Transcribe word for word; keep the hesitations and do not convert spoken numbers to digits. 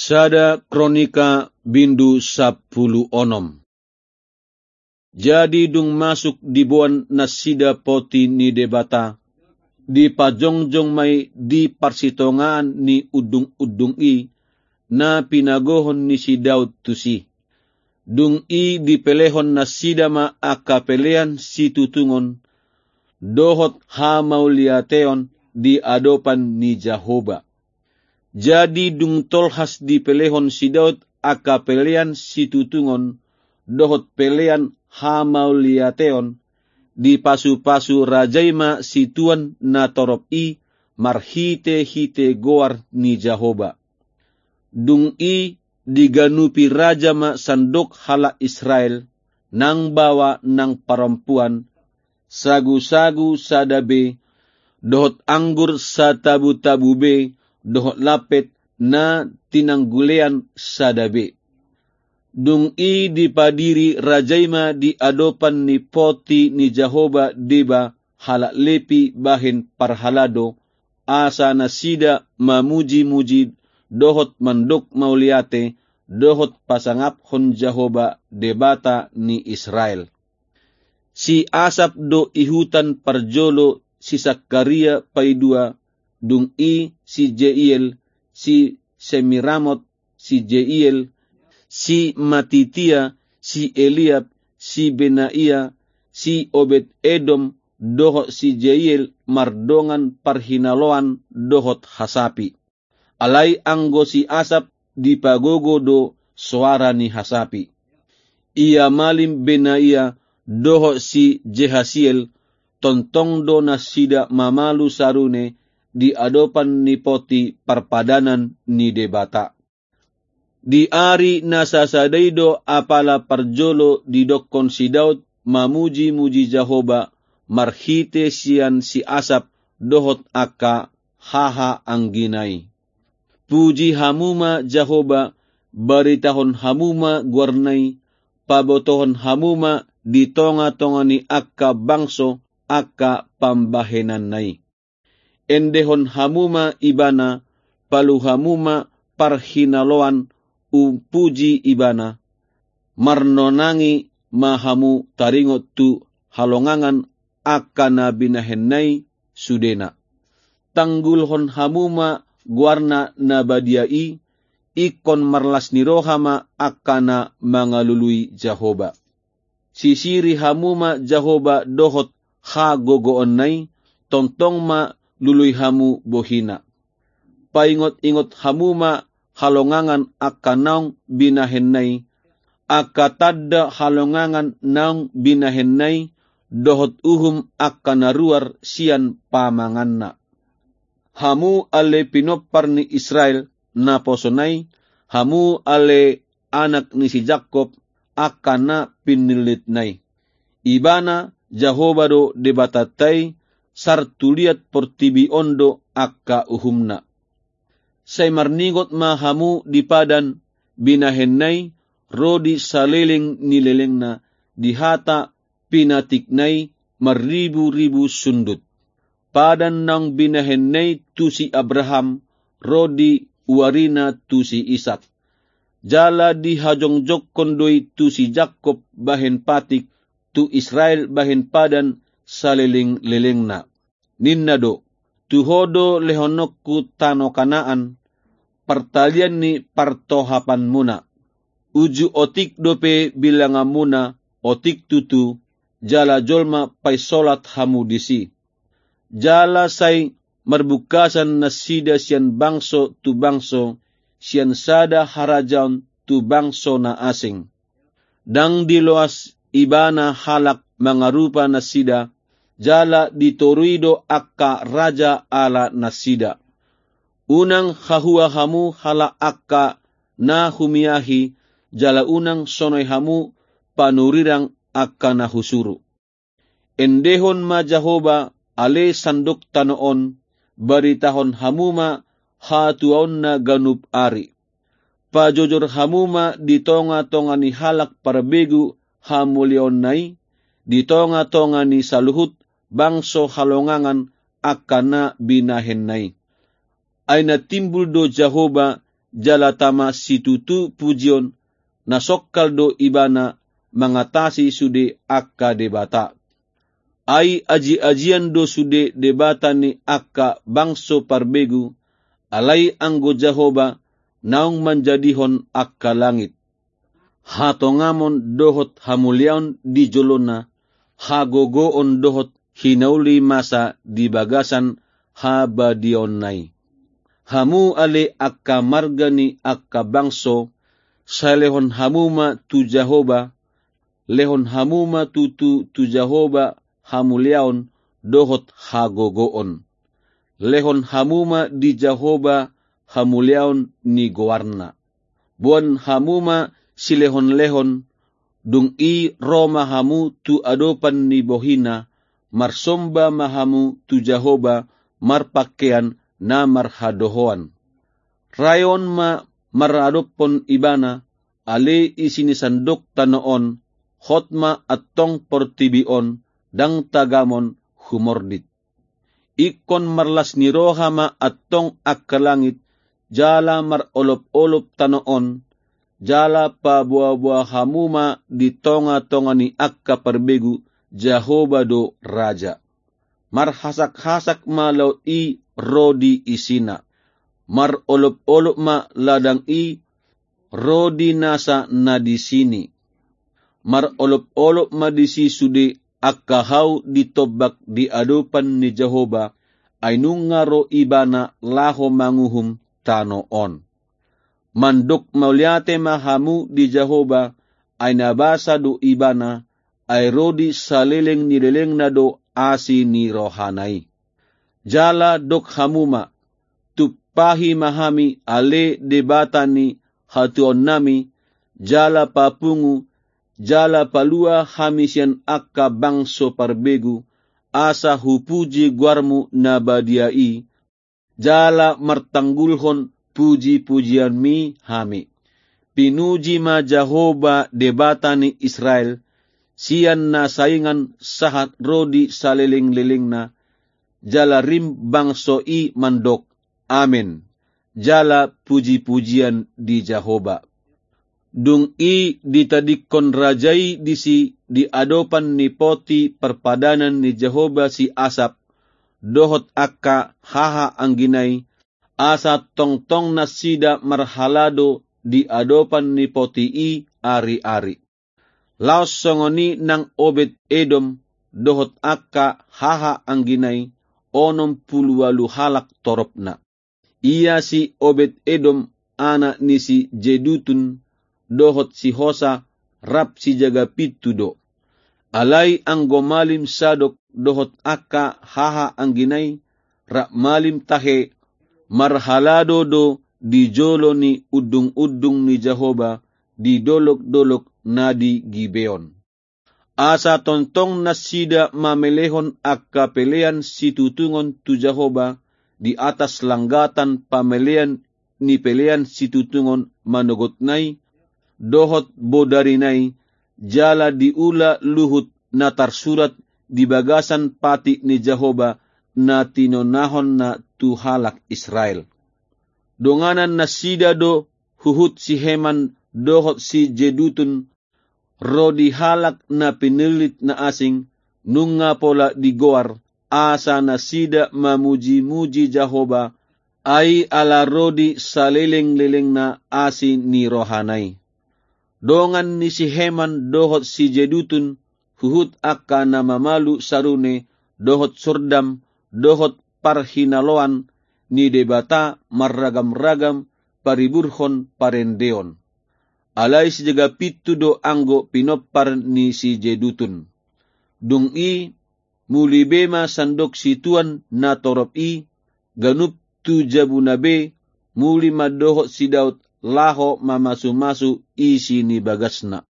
Sada Kronika bindu sampulu onom. Jadi dung masuk diboan nasida poti ni Debata, dipajongjong ma i di parsitongaan ni undung-undung i, na pinagohon ni si Daud tusi. Dung i dipelehon nasida ma angka pelean situtungon, dohot hamauliateon di adopan ni Jahowa. Jadi dung tolhas dipelehon si Daud angka pelean situtungon, dohot pelean hamauliateon, dipasupasu raja i ma situan na torop i marhitehite goar ni Jahowa. Dung i diganupi raja ma sandok halak Israel, nang baoa nang parompuan, sagusagu sada be, dohot anggur satabutabu be, dohot lampet na tinanggulean sada be. Dung i dipadiri raja i ma di adopan ni poti ni Jahowa deba halak Lepi bahen parhalado, asa nasida mamujimuji dohot mandok mauliate, dohot pasangaphon Jahowa Debata ni Israel. Si Asap do ihutan parjolo, si Sakaria paidua, dung i si Jeiel, si Semiramot, si Jeiel, si Matitia, si Eliab, si Benaia, si Obed Edom, dohot si Jeiel mardongan parhinaloan dohot hasapi. Alai anggo si Asap dipagogo do soara ni hasapi. Ia malim Benaia dohot si Jehasiel, tongtong do nasida mamalu sarune di adopan ni poti parpadanan ni Debata. Di ari na sasada i do apala parjolo didokkon si Daud mamujimuji Jahowa marhite sian si Asap dohot angka hahaanggina i. Puji hamu ma Jahowa, baritahon hamu ma goarna i, pabotohon hamu ma di tongatonga ni angka bangso angka pambahenanna i. Endehon hamu ma Ibana, palu hamu ma parhinaloan, umpuji Ibana. Marnonangi ma hamu taringot tu halongangan angka na binahenna i sudena. Tanggulhon hamu ma goarna na badia i, ingkon marlas ni roha ma angka na mangalului Jahowa. Sisiri hamu ma Jahowa dohot hagogoonna i, tongtong ma lului hamu bohina. Paingotingot hamu ma halongangan angka naung binahenna i, angka tanda halongangan naung binahenna i, dohot uhum angka na ruar sian pamanganna. Hamu ale pinompar ni Israel naposona i, hamu ale anak ni si Jakkob angka na pinillitna i. Ibana Jahowa do Debatanta i, sartuliat portibi on do angka uhumna. Sai marningot ma hamu di padan binahenna i, ro di saleleng ni lelengna, di hata pinatikna i marriburibu sundut. Padan naung binahenna i tu si Abraham, ro di uarina tu si Isak. Jala dihajongjongkon do i tu si Jakkob bahen patik, tu Israel bahen padan salelenglelengna. Ninna do: Tu ho do lehononku tano Kanaan, partalian ni partohapanmuna. Uju otik dope bilanganmuna, otik tutu, jala jolma painsolat hamu disi. Jala sai marbungkasan nasida sian bangso tu bangso, sian sada harajaon tu bangso na asing. Ndang diloas Ibana halak mangarupa nasida, jala ditorui do angka raja ala nasida. Unang hahua hamu halak angka na humiahi, jala unang sonai hamu panurirang angka na husuru. Endehon ma Jahowa, ale sandok tano on, baritahon hamu ma hatuaonna ganup ari. Pajojor hamu ma di tongatonga ni halak parbegu hamuliaonna i, di tongatonga ni saluhut bangso halongangan angka na binahenna i. Ai na timbul do Jahowa jala tama situtu pujion, na songkal do ibana mangatasi sude angka debata. Ai aji-ajian do sude debata ni angka bangso parbegu, alai anggo Jahowa naung manjadihon angka langit. Hatongamon dohot hamuliaon di jolona, hagogoon dohot hinauli masa di bagasan habadiaonna i. Hamu ale angka marga ni angka bangso, sai lehon hamu ma tu Jahowa, lehon hamu ma tutu tu Jahowa hamuliaon dohot hagogoon. Lehon hamu ma di Jahowa hamuliaon ni goarna. Boan hamu ma silehon-lehon, dung i ro ma hamu tu adopan ni bohina, marsomba ma hamu tu Jahowa marpangkean na marhadohoan. Rayon ma maradophon ibana, ale isi ni sandok tano on, hot ma antong portibi on, ndang tagamon humordit. Ingkon marlas ni roha ma antong angka langit, jala marolop-olop tano on, jala paboa-boa hamu ma di tonga-tonga ni angka parbegu, Jahowa do Raja. Marhasak-hasak ma laut i ro di isina. Marolop-olop ma ladang i ro di nasa na di sini. Marolop-olop ma disi sude angka hau di tombak di adopan ni Jahowa, ai nunga ro ibana laho manguhum tano on. Mandok mauliate ma hamu di Jahowa, ai na basa do ibana, ai ro di saleleng ni lelengna do asi ni rohana i. Jala dok hamu ma, tumpahi ma hami ale debata ni hatuaonnami, jala papungu, jala palua hami sian angka bangso parbegu, asa hupuji goarmu na badia i, jala martanggulhon puji-pujianmi hami. Pinuji ma Jahowa debata ni Israel, sian na saingan sahat ro di saleleng-lelengna, jala rim bangso i mandok, Amen. Jala puji-pujian di Jahowa. Dung i ditadingkon raja i disi di adopan ni poti parpadanan ni Jahowa si Asap, dohot angka haha anggina i, asa tongtong nasida marhalado di adopan ni poti i ari-ari. Laos songon i nang Obed Edom, dohot angka haha anggina i, onom pulu ualu halak toropna. Ia si Obed Edom, anak ni si Jedutun, dohot si Hosa, rap sijaga pintu do. Alai anggo malim Sadok dohot angka haha anggina i, rap malim tahe, marhalado do di jolo ni undung-undung ni Jahowa, di dolok-dolok na di Gibeon. Asa tongtong nasida mamelehon angka pelean situtungon tu Jahowa di atas langgatan pamelean ni pelean situtungon manogotna i, dohot bodarina i, jala diula luhut na tarsurat di bagasan patik ni Jahowa na tinonahonna tu halak Israel. Donganan nasida do huhut si Heman dohot si Jedutun, ro di halak na pinillit na asing, nunga pola digoar, asa nasida mamuji-muji Jahowa, ai ala ro di saleleng-lelengna asi ni rohana i. Dongan ni si Heman dohot si Jedutun, huhut angka na mamalu sarune, dohot sordam, dohot parhinaloan ni debata marragam-ragam pariburhon parendeon. Alai sijaga pintu do anggo pinompar ni si Jedutun. Dung i, muli be ma sandok situan na torop i, ganup tu jabuna be, muli ma dohot si Daud laho mamasu-masu isi ni bagasna.